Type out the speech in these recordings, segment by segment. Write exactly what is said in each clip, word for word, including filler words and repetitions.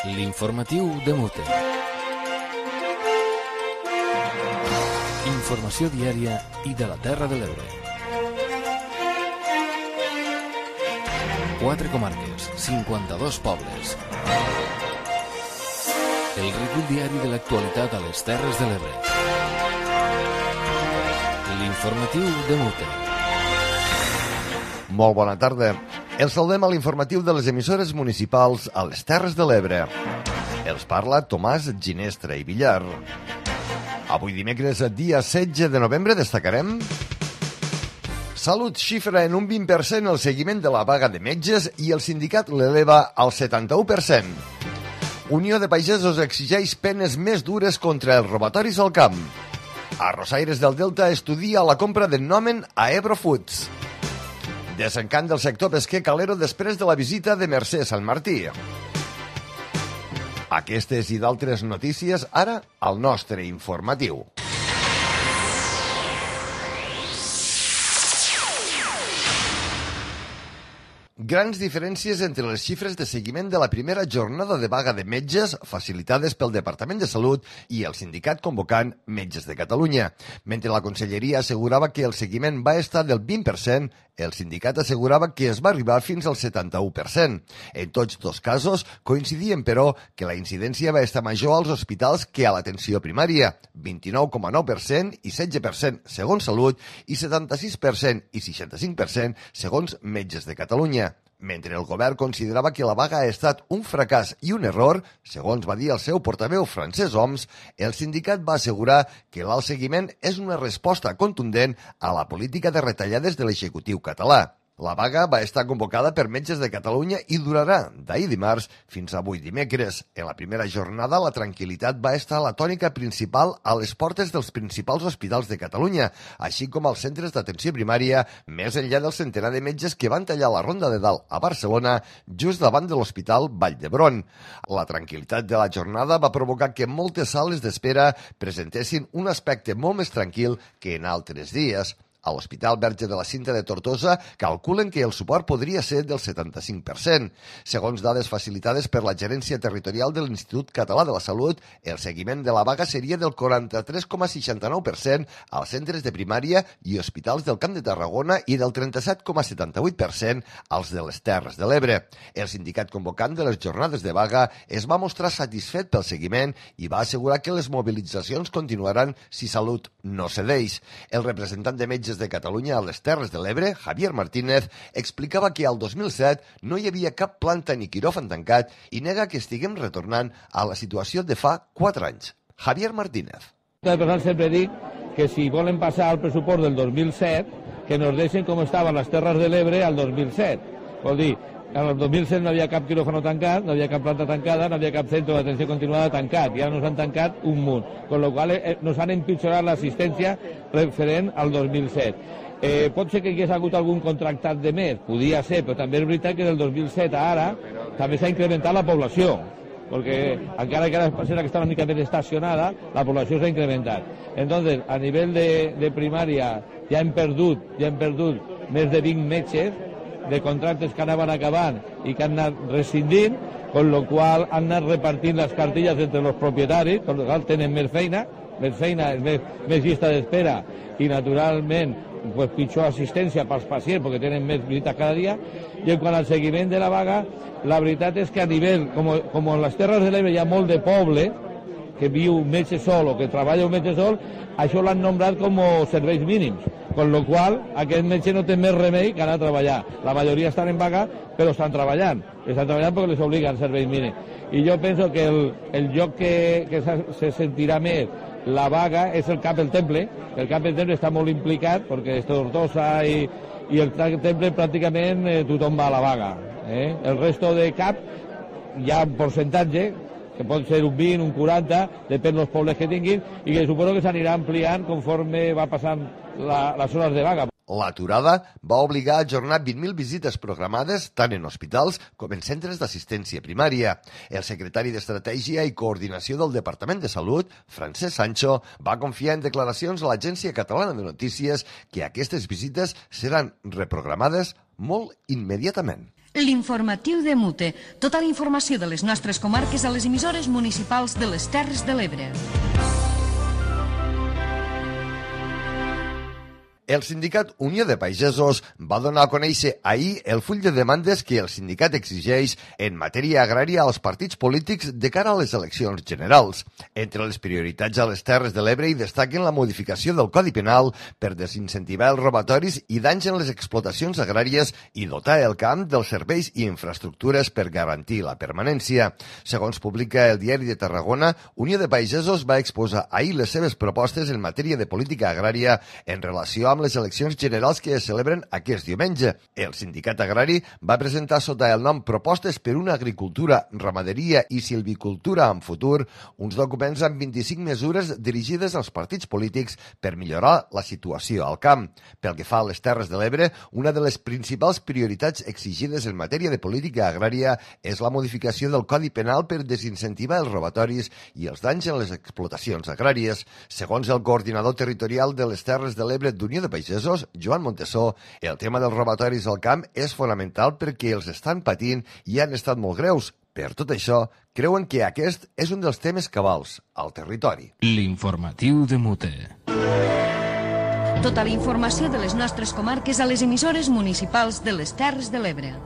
L'informatiu de Mute. Informació diària i de la Terra de l'Ebre. Quatre comarques, cinquanta-dos pobles. El recull diari de l'actualitat a les Terres de l'Ebre. L'informatiu de Mute. Molt bona tarda. Els saludem a l'informatiu de les emissores municipals a les Terres de l'Ebre. Els parla Tomàs Ginestra i Villar. Avui dimecres, dia setze de novembre, destacarem: Salut xifra en un vint per cent el seguiment de la vaga de metges i el sindicat l'eleva al setanta-u per cent. Unió de Pagesos exigeix penes més dures contra els robatoris al camp. Arrossaires del Delta estudia la compra de Nomen a Ebro Foods. Desencant del sector pesquer calero després de la visita de Mercè Sant Martí. Aquestes i d'altres notícies ara al nostre informatiu. Grans diferències entre les xifres de seguiment de la primera jornada de vaga de metges facilitades pel Departament de Salut i el sindicat convocant Metges de Catalunya. Mentre la Conselleria assegurava que el seguiment va estar del vint per cent, el sindicat assegurava que es va arribar fins al setanta-u per cent. En tots dos casos coincidien, però, que la incidència va estar major als hospitals que a l'atenció primària, vint-i-nou coma nou per cent i setze per cent segons Salut i setanta-sis per cent i seixanta-cinc per cent segons Metges de Catalunya. Mentre el govern considerava que la vaga ha estat un fracàs i un error, segons va dir el seu portaveu Francesc Homs, el sindicat va assegurar que l'alt seguiment és una resposta contundent a la política de retallades de l'executiu català. La vaga va estar convocada per Metges de Catalunya i durarà d'ahir dimarts fins avui dimecres. En la primera jornada, la tranquil·litat va estar la tònica principal a les portes dels principals hospitals de Catalunya, així com als centres d'atenció primària, més enllà del centenar de metges que van tallar la Ronda de Dalt a Barcelona, just davant de l'Hospital Vall d'Hebron. La tranquil·litat de la jornada va provocar que moltes sales d'espera presentessin un aspecte molt més tranquil que en altres dies. A l'Hospital Verge de la Cinta de Tortosa calculen que el suport podria ser del setanta-cinc per cent. Segons dades facilitades per la Gerència Territorial de l'Institut Català de la Salut, el seguiment de la vaga seria del quaranta-tres coma seixanta-nou per cent als centres de primària i hospitals del Camp de Tarragona i del trenta-set coma setanta-vuit per cent als de les Terres de l'Ebre. El sindicat convocant de les jornades de vaga es va mostrar satisfet pel seguiment i va assegurar que les mobilitzacions continuaran si Salut no cedeix. El representant de Metges de Catalunya a les Terres de l'Ebre, Javier Martínez, explicava que al dos mil set no hi havia cap planta ni quiròfan tancat i nega que estiguem retornant a la situació de fa quatre anys. Javier Martínez. Sempre dic que si volen passar al pressupost del dos mil set, que nos deixen com estaven les Terres de l'Ebre al dos mil set. Vol dir, al dos mil set no havia cap quiròfano tancat, no havia cap planta tancada, no havia cap centre d'atenció continuada tancat, i ara nos han tancat un munt, con lo qual eh, nos han empitjorat l'assistència referent al dos mil set. Eh, pot ser que hi hagués hagut algun contractat de més, podia ser, però també és veritat que del dos mil set a ara també s'ha incrementat la població, perquè encara que ara serà que està una mica més estacionada, la població s'ha incrementat. Entonces, a nivell de, de primària ja hem perdut, ja hem perdut més de vint metges de contractes que anaven acabant i que han anat rescindint, con lo qual han anat repartint les cartilles entre els propietaris, con lo qual tenen més feina, més feina, més, més llista d'espera i naturalment pues, pitjor assistència pels pacients perquè tenen més visites cada dia. I en quant al seguiment de la vaga, la veritat és que a nivell, com, com en les Terres de l'Ebre hi ha molt de poble que viu un metge sol o que treballa un metge sol, això l'han nombrat com serveis mínims, con lo qual aquest metge no té més remei que anar a treballar. La majoria estan en vaga, però estan treballant. Estan treballant perquè les obliguen serveis mínims. I jo penso que el, el lloc que, que se sentirà més la vaga és el Cap del Temple. El Cap del Temple està molt implicat perquè és Tortosa i, i el Temple pràcticament eh, tothom va a la vaga. Eh? El resto de Cap hi ha un percentatge que pot ser un vint, un quaranta, depèn dels pobles que tinguin, i que suposo que s'anirà ampliant conforme va passant la, les hores de vaga. L'aturada va obligar a ajornar vint mil visites programades tant en hospitals com en centres d'assistència primària. El secretari d'Estratègia i Coordinació del Departament de Salut, Francesc Sancho, va confiar en declaracions a l'Agència Catalana de Notícies que aquestes visites seran reprogramades molt immediatament. L'informatiu de Mute. Tota la informació de les nostres comarques a les emissores municipals de les Terres de l'Ebre. El sindicat Unió de Pagesos va donar a conèixer ahir el full de demandes que el sindicat exigeix en matèria agrària als partits polítics de cara a les eleccions generals. Entre les prioritats a les Terres de l'Ebre hi destaquen la modificació del Codi Penal per desincentivar els robatoris i danys en les explotacions agràries i dotar el camp dels serveis i infraestructures per garantir la permanència. Segons publica el Diari de Tarragona, Unió de Pagesos va exposar ahir les seves propostes en matèria de política agrària en relació amb les eleccions generals que es celebren aquest diumenge. El sindicat agrari va presentar sota el nom Propostes per una agricultura, ramaderia i silvicultura en futur uns documents amb vint-i-cinc mesures dirigides als partits polítics per millorar la situació al camp. Pel que fa a les Terres de l'Ebre, una de les principals prioritats exigides en matèria de política agrària és la modificació del Codi Penal per desincentivar els robatoris i els danys en les explotacions agràries. Segons el coordinador territorial de les Terres de l'Ebre d'Unió de Pagesos, Joan Montesó, el tema dels robatoris al camp és fonamental perquè els estan patint i han estat molt greus. Per tot això, creuen que aquest és un dels temes cabals al territori. L'informatiu de Mute. Tota la informació de les nostres comarques a les emissores municipals de les Terres de l'Ebre.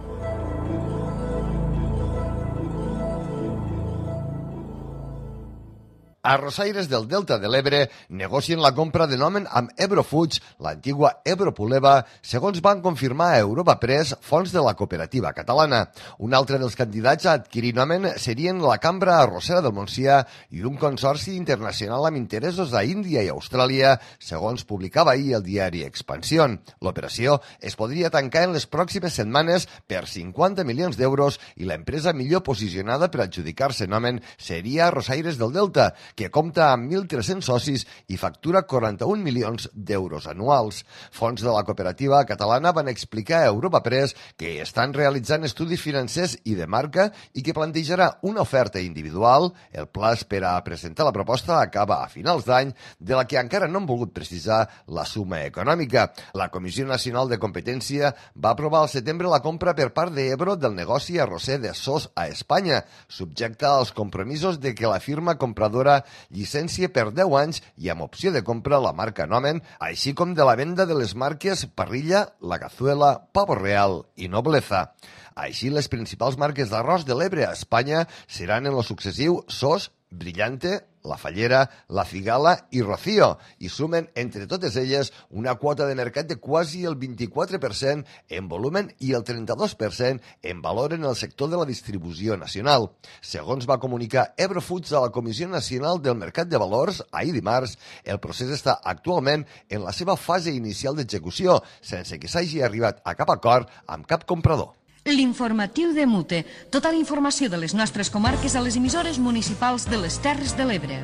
Arrossaires del Delta de l'Ebre negocien la compra de Nomen amb Ebro Foods, l'antigua Ebro Puleva, segons van confirmar a Europa Press fonts de la cooperativa catalana. Un altre dels candidats a adquirir Nomen serien la Cambra Arrossera del Montsià i un consorci internacional amb interessos a Índia i Austràlia, segons publicava ahir el diari Expansión. L'operació es podria tancar en les pròximes setmanes per cinquanta milions d'euros i l'empresa millor posicionada per adjudicar-se Nomen seria Arrossaires del Delta, que compta amb mil tres-cents socis i factura quaranta-un milions d'euros anuals. Fons de la cooperativa catalana van explicar a Europa Press que estan realitzant estudis financers i de marca i que plantejarà una oferta individual. El plaç per a presentar la proposta acaba a finals d'any, de la que encara no han volgut precisar la suma econòmica. La Comissió Nacional de Competència va aprovar al setembre la compra per part d'Ebro del negoci arrosser de Sos a Espanya, subjecte als compromisos de que la firma compradora llicència per deu anys i amb opció de compra la marca Nomen, així com de la venda de les marques Parrilla, La Cazuela, Pavo Real i Nobleza. Així, les principals marques d'arròs de l'Ebre a Espanya seran en lo successiu Sos, Brillante, La Fallera, La Cigala i Rocío, i sumen entre totes elles una quota de mercat de quasi el vint-i-quatre per cent en volumen i el trenta-dos per cent en valor en el sector de la distribució nacional. Segons va comunicar Ebro Foods a la Comissió Nacional del Mercat de Valors ahir dimarts, el procés està actualment en la seva fase inicial d'execució, sense que s'hagi arribat a cap acord amb cap comprador. L'informatiu de Mute. Tota la informació de les nostres comarques a les emissores municipals de les Terres de l'Ebre.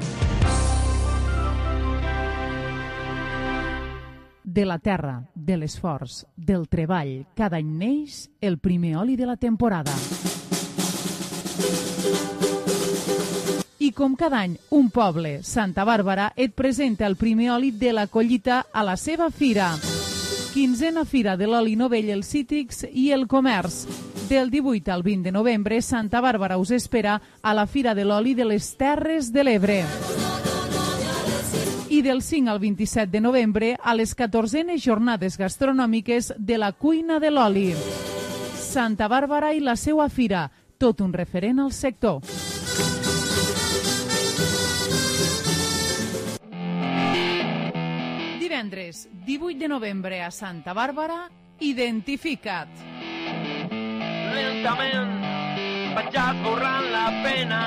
De la terra, de l'esforç, del treball, cada any neix el primer oli de la temporada. I com cada any, un poble, Santa Bàrbara, et presenta el primer oli de la collita a la seva fira. Quinzena Fira de l'Oli Novell, els Cítrics i el Comerç. Del divuit al vint de novembre, Santa Bàrbara us espera a la Fira de l'Oli de les Terres de l'Ebre. I del cinc al vint-i-set de novembre, a les catorzenes jornades gastronòmiques de la Cuina de l'Oli. Santa Bàrbara i la seua fira, tot un referent al sector. Divendres, divuit de novembre a Santa Bàrbara, Identifica't. Lentament vaig esborrant la pena.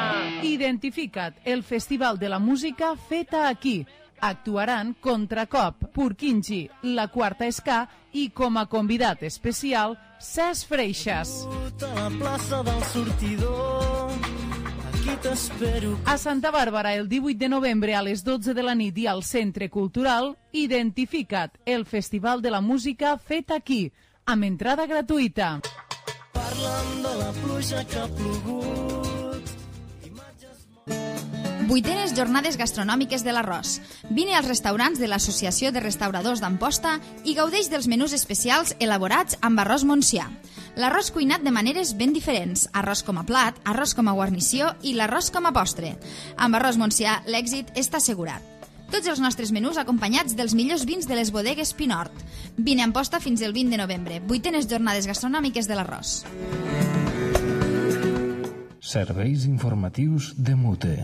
Identifica't, el festival de la música feta aquí. Actuaran Contracop, Purkinji, La Quarta Ska i com a convidat especial, Cesc Freixas. A la plaça del sortidor, aquí t'espero. A Santa Bàrbara, el divuit de novembre a les dotze de la nit i al Centre Cultural, Identifica't, el festival de la música fet aquí, amb entrada gratuïta. Parlant de la pluja que ha plogut. Vuitenes jornades gastronòmiques de l'arròs. Vine als restaurants de l'Associació de Restauradors d'Amposta i gaudeix dels menús especials elaborats amb arròs montsià. L'arròs cuinat de maneres ben diferents, arròs com a plat, arròs com a guarnició i l'arròs com a postre. Amb Arròs Montsià l'èxit està assegurat. Tots els nostres menús acompanyats dels millors vins de les bodegues Pinort. Vine a Amposta fins el vint de novembre, vuitenes jornades gastronòmiques de l'arròs. Serveis informatius de Mute.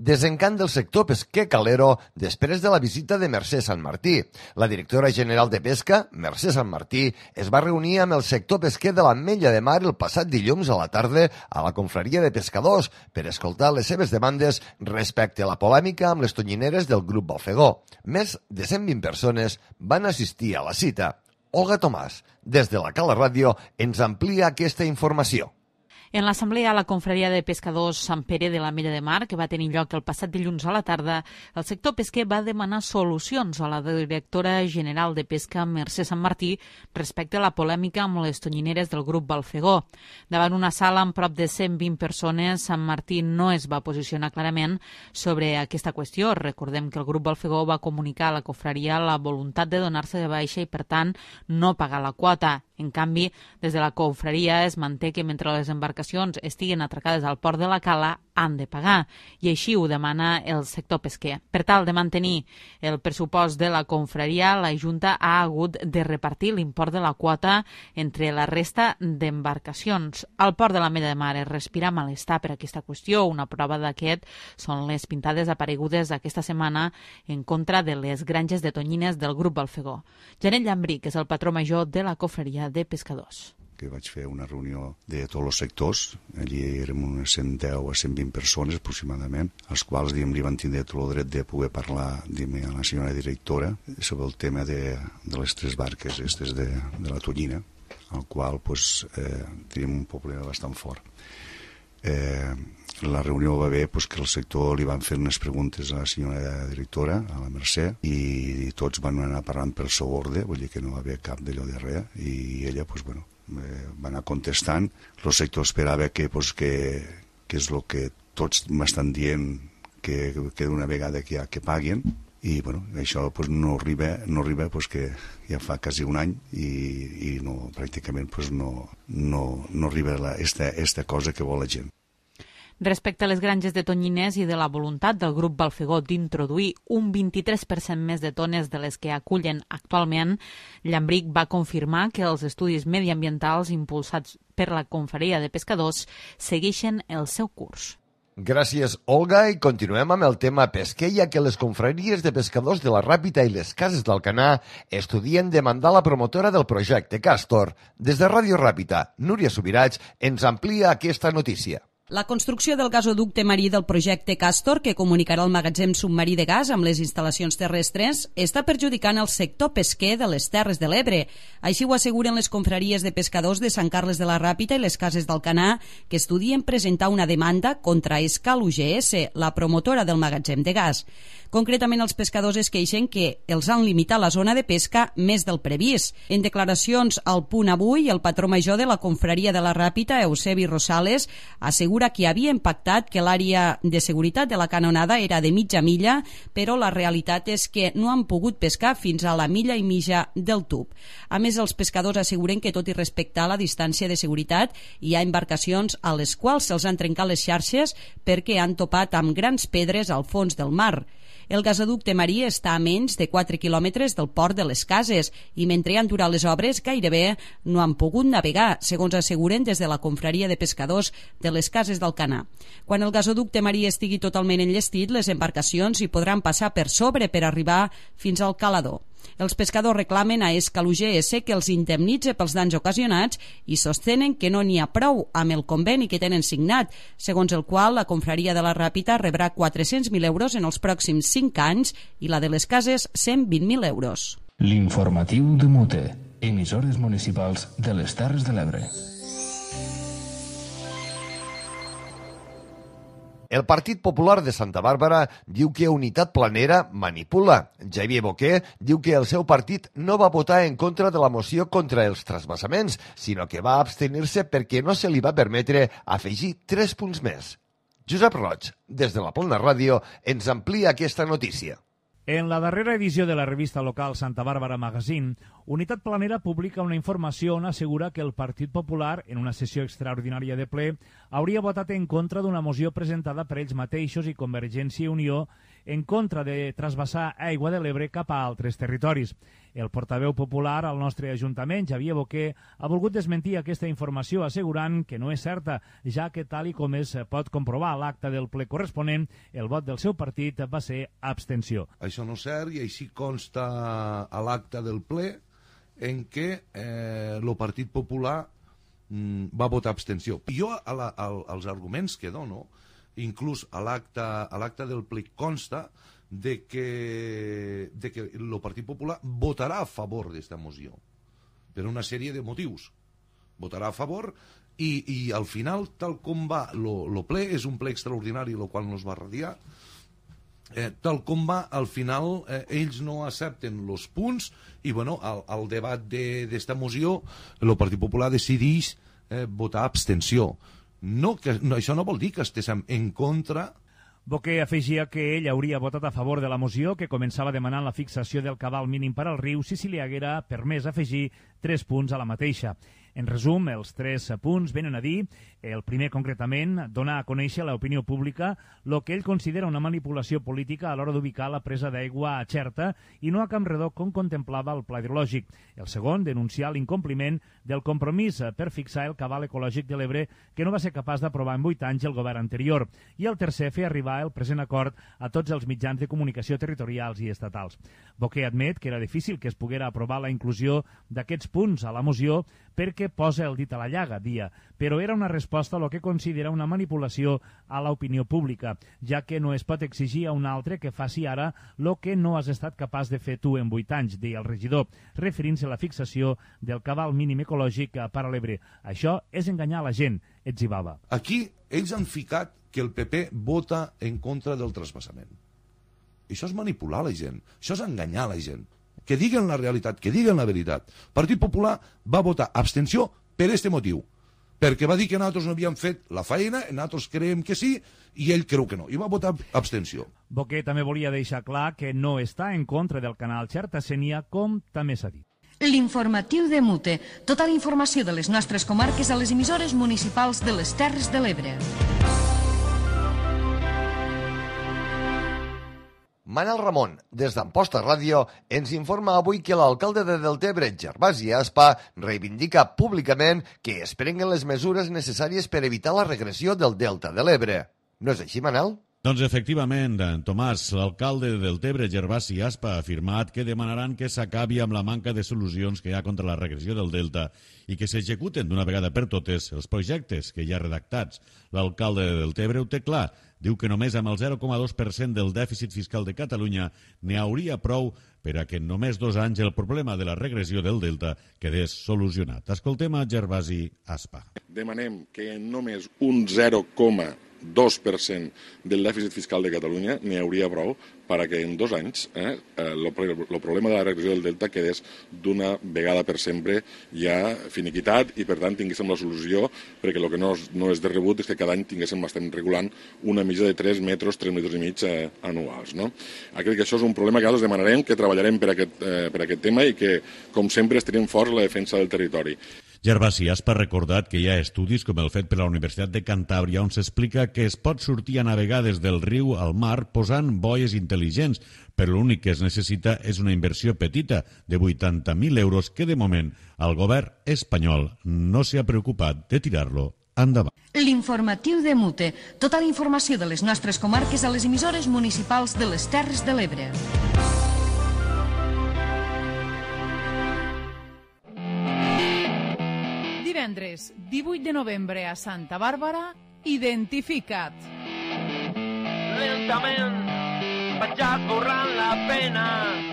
Desencant del sector pesquer calero després de la visita de Mercè Sant Martí. La directora general de Pesca, Mercè Sant Martí, es va reunir amb el sector pesquer de l'Ametlla de Mar el passat dilluns a la tarda a la confraria de pescadors per escoltar les seves demandes respecte a la polèmica amb les tonyineres del grup Balfegó. Més de cent vint persones van assistir a la cita. Olga Tomàs, des de la Cala Ràdio, ens amplia aquesta informació. En l'assemblea a la confraria de pescadors Sant Pere de l'Ametlla de Mar, que va tenir lloc el passat dilluns a la tarda, el sector pesquer va demanar solucions a la directora general de Pesca, Mercè Sant Martí, respecte a la polèmica amb les tonyineres del grup Balfegó. Davant una sala amb prop de cent vint persones, Sant Martí no es va posicionar clarament sobre aquesta qüestió. Recordem que el grup Balfegó va comunicar a la confraria la voluntat de donar-se de baixa i, per tant, no pagar la quota. En canvi, des de la confraria es manté que mentre les embarcacions estiguen atracades al port de la Cala han de pagar, i així ho demana el sector pesquer. Per tal de mantenir el pressupost de la confraria, la Junta ha hagut de repartir l'import de la quota entre la resta d'embarcacions. Al port de l'Ametlla de Mar es respira malestar per aquesta qüestió. Una prova d'aquest són les pintades aparegudes aquesta setmana en contra de les granges de tonyines del grup Balfegó. Janet Llambric és el patró major de la confraria de pescadors. Que vaig fer una reunió de tots els sectors, allí érem unes cent deu a cent vint persones aproximadament, als quals diguem, li van tindre tot el dret de poder parlar diguem, a la senyora directora sobre el tema de, de les tres barques estes de, de la tonyina, al qual pues, eh, tenim un problema bastant fort. Eh, la reunió va bé pues, que el sector li van fer unes preguntes a la senyora directora, a la Mercè, i tots van anar parlant per seu ordre, vull dir que no va haver cap d'allò de res, i ella pues, bueno, eh, va anar contestant. El sector esperava que, pues, que, que és el que tots m'estan dient que, que d'una vegada que, ja, que paguen, i bueno, això pues, no arriba, no arriba pues, que ja fa quasi un any i, i no, pràcticament pues, no, no, no arriba la, esta, esta cosa que vol la gent. Respecte a les granges de tonyines i de la voluntat del grup Balfegó d'introduir un vint-i-tres per cent més de tones de les que acullen actualment, Llambric va confirmar que els estudis mediambientals impulsats per la confraria de pescadors segueixen el seu curs. Gràcies, Olga, i continuem amb el tema pesquer, ja que les confraries de pescadors de la Ràpita i les cases d'Alcanar estudien demandar la promotora del projecte Castor. Des de Ràdio Ràpita, Núria Subirats ens amplia aquesta notícia. La construcció del gasoducte marí del projecte Castor, que comunicarà el magatzem submarí de gas amb les instal·lacions terrestres, està perjudicant el sector pesquer de les Terres de l'Ebre. Així ho asseguren les confraries de pescadors de Sant Carles de la Ràpita i les cases d'Alcanar, que estudien presentar una demanda contra Escal U G S, la promotora del magatzem de gas. Concretament, els pescadors es queixen que els han limitat la zona de pesca més del previst. En declaracions al Punt Avui, el patró major de la confraria de la Ràpita, Eusebi Rosales, assegura que havia impactat que l'àrea de seguretat de la canonada era de mitja milla, però la realitat és que no han pogut pescar fins a la milla i mitja del tub. A més, els pescadors asseguren que, tot i respectar la distància de seguretat, hi ha embarcacions a les quals se'ls han trencat les xarxes perquè han topat amb grans pedres al fons del mar. El gasoducte marí està a menys de quatre quilòmetres del port de les Cases i mentre han durat les obres gairebé no han pogut navegar, segons asseguren des de la confraria de pescadors de les Cases d'Alcanar. Quan el gasoducte marí estigui totalment enllestit, les embarcacions hi podran passar per sobre per arribar fins al calador. Els pescadors reclamen a Escal U G S que els indemnitze pels danys ocasionats i sostenen que no n'hi ha prou amb el conveni que tenen signat, segons el qual la confraria de la Ràpita rebrà quatre-cents mil euros en els pròxims cinc anys i la de les Cases cent vint mil euros. L'informatiu de Mute, emissores municipals de les Terres de l'Ebre. El Partit Popular de Santa Bàrbara diu que Unitat Planera manipula. Xavier Boquer diu que el seu partit no va votar en contra de la moció contra els trasvassaments, sinó que va abstenir-se perquè no se li va permetre afegir tres punts més. Josep Roig, des de la Plana Ràdio, ens amplia aquesta notícia. En la darrera edició de la revista local Santa Bàrbara Magazine, Unitat Planera publica una informació on assegura que el Partit Popular, en una sessió extraordinària de ple, hauria votat en contra d'una moció presentada per ells mateixos i Convergència i Unió en contra de trasbassar aigua de l'Ebre cap a altres territoris. El portaveu popular al nostre Ajuntament, Xavier Boquer, ha volgut desmentir aquesta informació assegurant que no és certa, ja que tal i com es pot comprovar a l'acte del ple corresponent, el vot del seu partit va ser abstenció. Això no és cert i així consta a l'acte del ple en què eh, el Partit Popular mm, va votar abstenció. Jo, a la, a, als arguments que dono, inclús a l'acte del ple consta de que, de que el Partit Popular votarà a favor d'esta moció per una sèrie de motius. Votarà a favor i, i al final, tal com va el ple, és un ple extraordinari, el qual no es va radiar, eh, tal com va, al final eh, ells no accepten els punts i bueno, al, al debat d'esta moció el Partit Popular decideix eh, votar abstenció. No, que, no, això no vol dir que estiguem en contra. Boquer afegia que ell hauria votat a favor de la moció que començava demanant la fixació del cabal mínim per al riu si se li haguera permès afegir tres punts a la mateixa. En resum, els tres punts venen a dir, el primer concretament, donar a conèixer a l'opinió pública el que ell considera una manipulació política a l'hora d'ubicar la presa d'aigua a Xerta i no a Campredó com contemplava el pla hidrològic. El segon, denunciar l'incompliment del compromís per fixar el cabal ecològic de l'Ebre que no va ser capaç d'aprovar en vuit anys el govern anterior. I el tercer, fer arribar el present acord a tots els mitjans de comunicació territorials i estatals. Boquer admet que era difícil que es poguera aprovar la inclusió d'aquests punts a la moció perquè posa el dit a la llaga, dia, però era una resposta a lo que considera una manipulació a l'opinió pública, ja que no es pot exigir a un altre que faci ara lo que no has estat capaç de fer tu en vuit anys, deia el regidor, referint-se a la fixació del cabal mínim ecològic per a l'Ebre. Això és enganyar la gent, etzibava. Aquí ells han ficat que el P P vota en contra del trasbassament. Això és manipular la gent, això és enganyar la gent. Que diguen la realitat, que diguen la veritat. El Partit Popular va votar abstenció per aquest motiu, perquè va dir que nosaltres no havíem fet la feina, nosaltres creiem que sí, i ell creu que no, i va votar abstenció. Boquer també volia deixar clar que no està en contra del canal Xerta-Sénia, com també s'ha dit. L'informatiu de Mute. Tota la informació de les nostres comarques a les emissores municipals de les Terres de l'Ebre. Manel Ramon, des d'Amposta Ràdio, ens informa avui que l'alcalde de Deltebre, Gervasi Aspa, reivindica públicament que es prenguen les mesures necessàries per evitar la regressió del Delta de l'Ebre. No és així, Manel? Doncs efectivament, Tomàs, l'alcalde de Deltebre, Gervasi Aspa, ha afirmat que demanaran que s'acabi amb la manca de solucions que hi ha contra la regressió del Delta i que s'executen d'una vegada per totes els projectes que hi ha redactats. L'alcalde de Deltebre ho té clar. Diu que només amb el zero coma dos per cent del dèficit fiscal de Catalunya n'hi hauria prou per a que en només dos anys el problema de la regressió del Delta quedés solucionat. Escoltem a Gervasi Aspa. Demanem que en només un zero coma dos per cent del dèficit fiscal de Catalunya n'hi hauria prou perquè en dos anys eh, el problema de la regressió del Delta quedés d'una vegada per sempre ja finiquitat i per tant tinguéssim la solució, perquè el que no és, no és de rebut és que cada any tinguéssim, estem regulant una mitja de tres metres, tres metres i mig eh, anuals. No? Crec que això és un problema que nosaltres demanarem, que treballarem per aquest, eh, per aquest tema i que, com sempre, estarem forts en la defensa del territori. Gervasi Aspa ha recordat que hi ha estudis com el fet per la Universitat de Cantàbria on s'explica que es pot sortir a navegar des del riu al mar posant boies intel·ligents, però l'únic que es necessita és una inversió petita de vuitanta mil euros que de moment el govern espanyol no s'ha preocupat de tirar-lo endavant. L'informatiu de Mute. Tota la informació de les nostres comarques a les emissores municipals de les Terres de l'Ebre. Divendres, divuit de novembre a Santa Bàrbara, Identifica't. Lentament vaig esborrant la pena.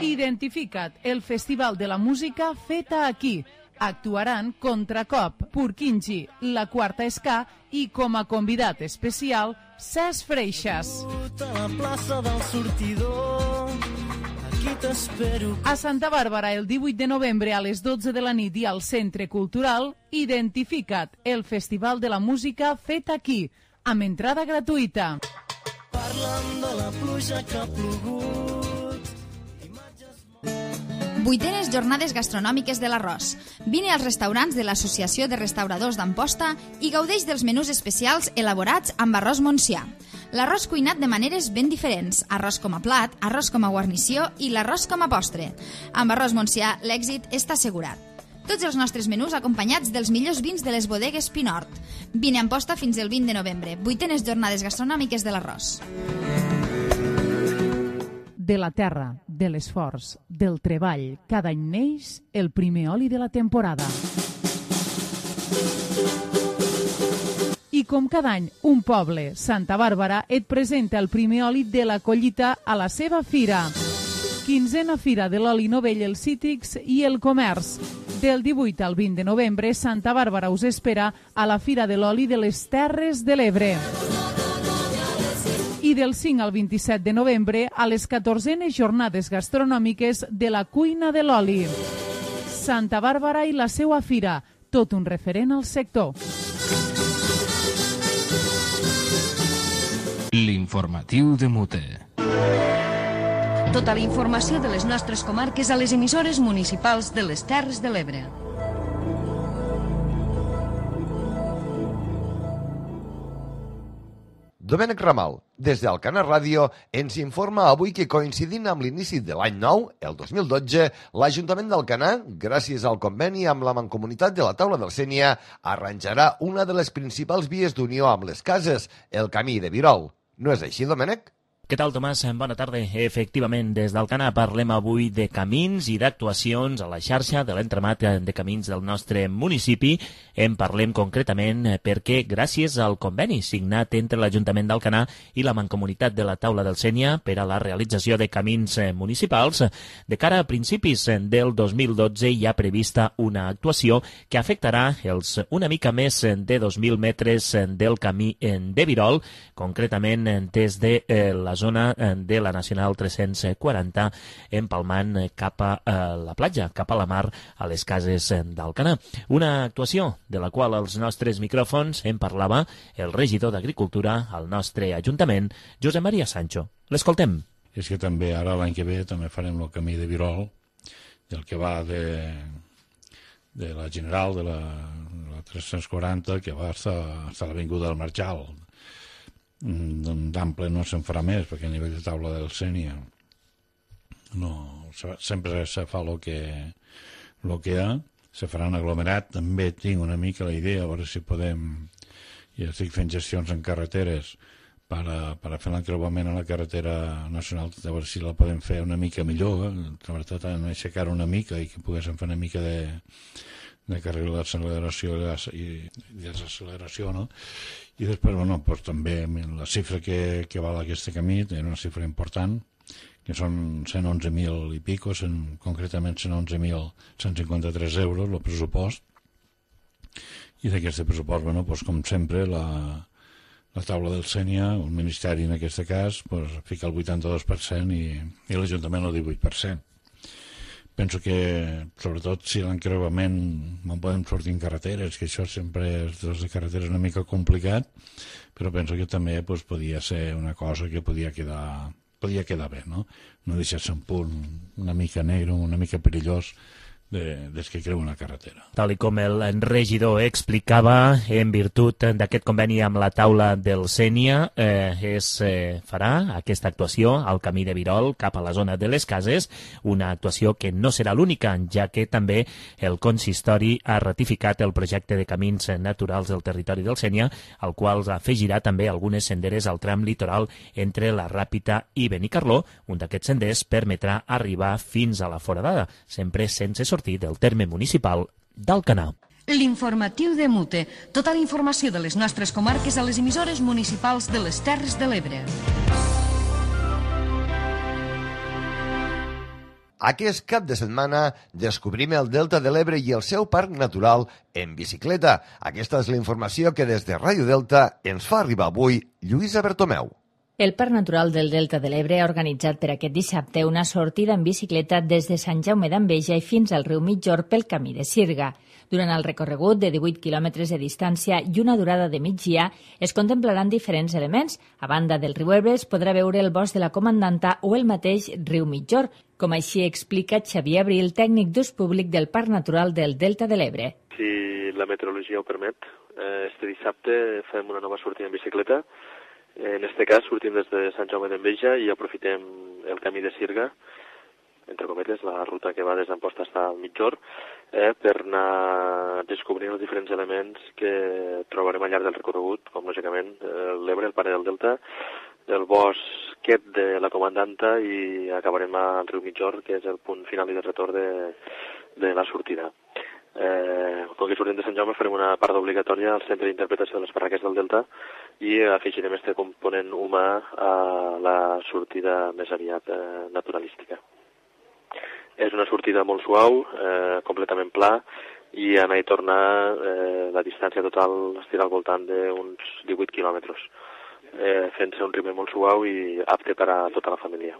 Identifica't, el festival de la música feta aquí. Actuaran Contracop, Purkinji, La Quarta Ska i com a convidat especial, Cesc Freixas. A la plaça del sortidor, aquí t'espero. A Santa Bàrbara, el divuit de novembre a les dotze de la nit i al Centre Cultural, Identifica't, el festival de la música fet aquí, amb entrada gratuïta. Parlant de la pluja que ha plogut Vuitenes jornades gastronòmiques de l'arròs. Vine als restaurants de l'Associació de Restauradors d'Amposta i gaudeix dels menús especials elaborats amb arròs Montsià. L'arròs cuinat de maneres ben diferents, arròs com a plat, arròs com a guarnició i l'arròs com a postre. Amb arròs Montsià l'èxit està assegurat. Tots els nostres menús acompanyats dels millors vins de les bodegues Pinort. Vine a Amposta fins el vint de novembre. Vuitenes jornades gastronòmiques de l'arròs. De la terra, de l'esforç, del treball, cada any neix el primer oli de la temporada. I com cada any, un poble, Santa Bàrbara, et presenta el primer oli de la collita a la seva fira. Quinzena Fira de l'Oli Novell, els Cítrics i el Comerç. Del divuit al vint de novembre, Santa Bàrbara us espera a la Fira de l'Oli de les Terres de l'Ebre. I del cinc al vint-i-set de novembre a les catorzenes jornades gastronòmiques de la cuina de l'oli. Santa Bàrbara i la seua fira, tot un referent al sector. L'informatiu de Mute. Tota la informació de les nostres comarques a les emissores municipals de les Terres de l'Ebre. Domènec Ramal, des d'Alcanar Ràdio, ens informa avui que coincidint amb l'inici de l'any nou, el dos mil dotze, l'Ajuntament d'Alcanar, gràcies al conveni amb la Mancomunitat de la Taula del Sénia, arranjarà una de les principals vies d'unió amb les cases, el Camí de Virol. No és així, Domènec? Què tal, Tomàs? Bona tarda. Efectivament, des d'Alcanar parlem avui de camins i d'actuacions a la xarxa de l'entramat de camins del nostre municipi. En parlem concretament perquè, gràcies al conveni signat entre l'Ajuntament d'Alcanar i la Mancomunitat de la Taula del Sénia per a la realització de camins municipals, de cara a principis del dos mil dotze hi ha prevista una actuació que afectarà els una mica més de dos mil metres del camí de Virol, concretament des de la zona de la Nacional tres-cents quaranta, empalmant cap a la platja, cap a la mar, a les cases d'Alcanar. Una actuació de la qual als nostres micròfons en parlava el regidor d'Agricultura al nostre Ajuntament, Josep Maria Sancho. L'escoltem. És que també ara l'any que ve també farem el camí de Virol, del que va de, de la General, de la, la tres-cents quaranta, que va fins a l'Avinguda del Marjal. D'ample no se'n farà més, perquè a nivell de Taula del Sénia no, sempre se fa el que, lo que hi ha, se farà un aglomerat. També tinc una mica la idea, a veure si podem, ja estic fent gestions en carreteres per a, per a fer l'encreuament a la carretera nacional, a veure si la podem fer una mica millor, sobretot en aixecar una mica i que poguéssim fer una mica de de carril d'acceleració i desacceleració, no? I després, bueno, doncs també la xifra que, que val aquest camí és una xifra important, que són cent onze mil i pico, cent, concretament cent onze mil cent cinquanta-tres euros, el pressupost. I d'aquest pressupost, bueno, doncs, com sempre, la, la Taula del Sénia, el Ministeri en aquest cas, doncs, fica el vuitanta-dos per cent i, i l'Ajuntament el divuit per cent. Penso que, sobretot, si l'encreuament no podem sortir en carreteres, que això sempre és de carreteres una mica complicat, però penso que també pues, podia ser una cosa que podia quedar, podia quedar bé, no? No deixar-se un punt una mica negre, una mica perillós, de, des que creu una carretera. Tal i com el regidor explicava, en virtut d'aquest conveni amb la Taula del Sénia, eh, es eh, farà aquesta actuació al camí de Virol cap a la zona de les cases, una actuació que no serà l'única, ja que també el consistori ha ratificat el projecte de camins naturals del territori del Sénia, al qual afegirà també algunes senderes al tram litoral entre la Ràpita i Benicarló. Un d'aquests senders permetrà arribar fins a la Foradada, sempre sense sortir del terme municipal d'Alcanar. L'informatiu de Mute. Tota la informació de les nostres comarques a les emissores municipals de les Terres de l'Ebre. Aquest cap de setmana descobrim el Delta de l'Ebre i el seu parc natural en bicicleta. Aquesta és la informació que des de Ràdio Delta ens fa arribar avui Lluïsa Bertomeu. El Parc Natural del Delta de l'Ebre ha organitzat per aquest dissabte una sortida en bicicleta des de Sant Jaume d'Enveja i fins al riu Mitjor pel camí de Sirga. Durant el recorregut de divuit quilòmetres de distància i una durada de migdia es contemplaran diferents elements. A banda del riu Ebre es podrà veure el bosc de la Comandanta o el mateix riu Mitjor, com així explica Xavier Abril, tècnic d'ús públic del Parc Natural del Delta de l'Ebre. Si la meteorologia ho permet, este dissabte fem una nova sortida en bicicleta. En este cas sortim des de Sant Jaume d'Enveja i aprofitem el camí de Sirga, entre cometes, la ruta que va des d'Amposta fins al Mitjor, eh, per anar descobrint els diferents elements que trobarem al llarg del recorregut, com lògicament l'Ebre, el Pare del Delta, el bosquet de la Comandanta i acabarem al riu Mitjor, que és el punt final i de retorn de, de la sortida. Eh, com que sortim de Sant Jaume farem una part obligatòria al centre d'interpretació de les barraques del Delta i afegirem este component humà a la sortida més aviat eh, naturalística. És una sortida molt suau, eh, completament pla, i anar i tornar eh, la distància total estirà al voltant d'uns divuit quilòmetres, eh, fent-se un ritme molt suau i apte per a tota la família.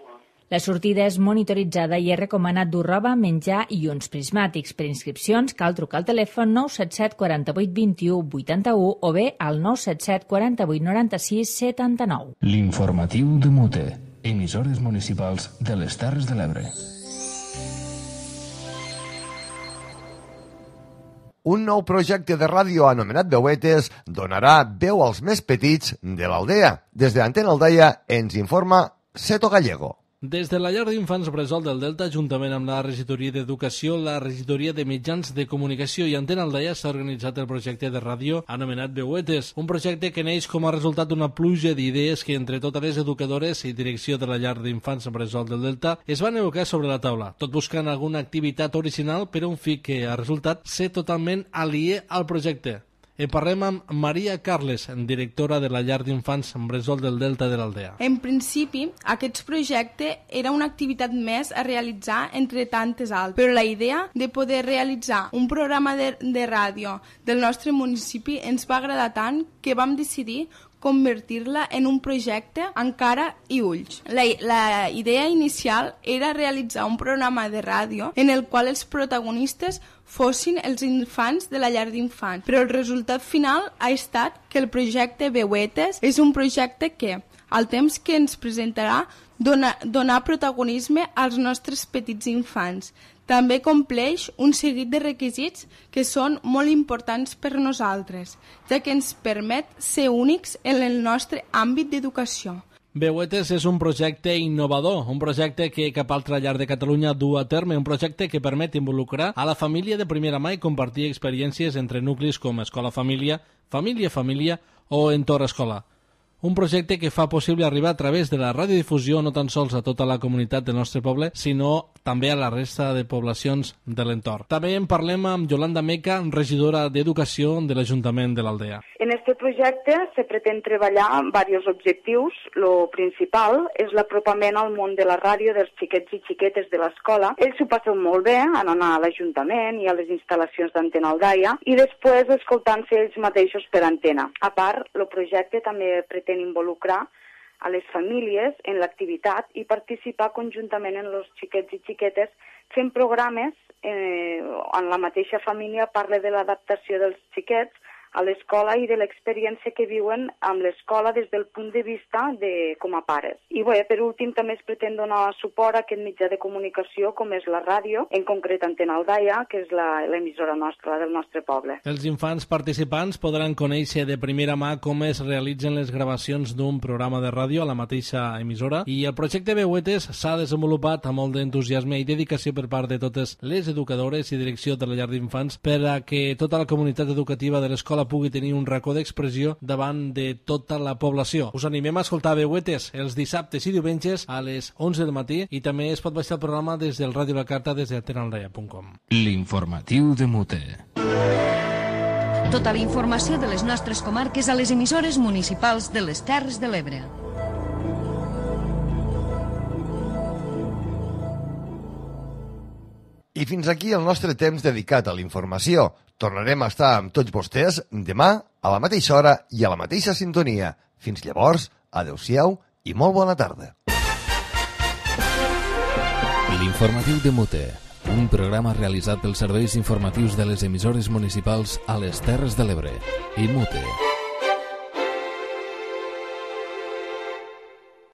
La sortida és monitoritzada i es recomana dur roba, menjar i uns prismàtics. Per inscripcions cal trucar al telèfon nou set set quatre vuit dos u vuit u o bé al nou set set quatre vuit nou sis set nou. L'informatiu de Mute, emissores municipals de les Terres de l'Ebre. Un nou projecte de ràdio anomenat Veuetes donarà veu als més petits de l'Aldea. Des de Antena Aldaia ens informa Seto Gallego. Des de la llar d'infants Bressol del Delta, juntament amb la regidoria d'Educació, la regidoria de Mitjans de Comunicació i Antena Aldaia, s'ha organitzat el projecte de ràdio anomenat Veuetes, un projecte que neix com a resultat d'una pluja d'idees que entre totes les educadores i direcció de la llar d'infants Bressol del Delta es van evocar sobre la taula, tot buscant alguna activitat original per a un fi que ha resultat ser totalment aliè al projecte. En parlem amb Maria Carles, directora de la llar d'infants Bressol del Delta de l'Aldea. En principi, aquest projecte era una activitat més a realitzar entre tantes altres, però la idea de poder realitzar un programa de, de ràdio del nostre municipi ens va agradar tant que vam decidir convertir-la en un projecte amb cara i ulls. La, la idea inicial era realitzar un programa de ràdio en el qual els protagonistes fossin els infants de la llar d'infants, però el resultat final ha estat que el projecte Veuetes és un projecte que, al temps que ens presentarà, dona, donar protagonisme als nostres petits infants. També compleix un seguit de requisits que són molt importants per nosaltres, ja que ens permet ser únics en el nostre àmbit d'educació. Veuetes és un projecte innovador, un projecte que cap altra llar de Catalunya du a terme, un projecte que permet involucrar a la família de primera mà i compartir experiències entre nuclis com escola-família, família-família o entorn-escola. Un projecte que fa possible arribar a través de la radiodifusió no tan sols a tota la comunitat del nostre poble, sinó també a la resta de poblacions de l'entorn. També en parlem amb Yolanda Meca, regidora d'Educació de l'Ajuntament de l'Aldea. En aquest projecte se pretén treballar amb diversos objectius. Lo principal és l'apropament al món de la ràdio dels xiquets i xiquetes de l'escola. Ells s'ho passen molt bé en anar a l'Ajuntament i a les instal·lacions d'Antena Aldaia i després escoltant-se ells mateixos per antena. A part, el projecte també pretén involucrar a les famílies en l'activitat i participar conjuntament en els xiquets i xiquetes fent programes eh, en la mateixa família parla de l'adaptació dels xiquets a l'escola i de l'experiència que viuen amb l'escola des del punt de vista de com a pares. I bé, per últim també es pretén donar suport a aquest mitjà de comunicació com és la ràdio, en concret Antena Aldaia, que és l'emissora nostra, del nostre poble. Els infants participants podran conèixer de primera mà com es realitzen les gravacions d'un programa de ràdio a la mateixa emissora i el projecte Veuetes s'ha desenvolupat amb molt d'entusiasme i dedicació per part de totes les educadores i direcció de la llar d'infants per a que tota la comunitat educativa de l'escola pugui tenir un racó d'expressió davant de tota la població. Us animem a escoltar Veuetes els dissabtes i diumenges a les onze del matí i també es pot baixar el programa des del Ràdio La Carta des de antena aldaia punt com. L'informatiu de Mute. Tota la informació de les nostres comarques a les emissores municipals de les Terres de l'Ebre. I fins aquí el nostre temps dedicat a la informació. Tornarem a estar amb tots vostès demà a la mateixa hora i a la mateixa sintonia. Fins llavors, adeu-siau i molt bona tarda. L'informatiu de Mute, un programa realitzat pels serveis informatius de les emissores municipals a les Terres de l'Ebre i Mute.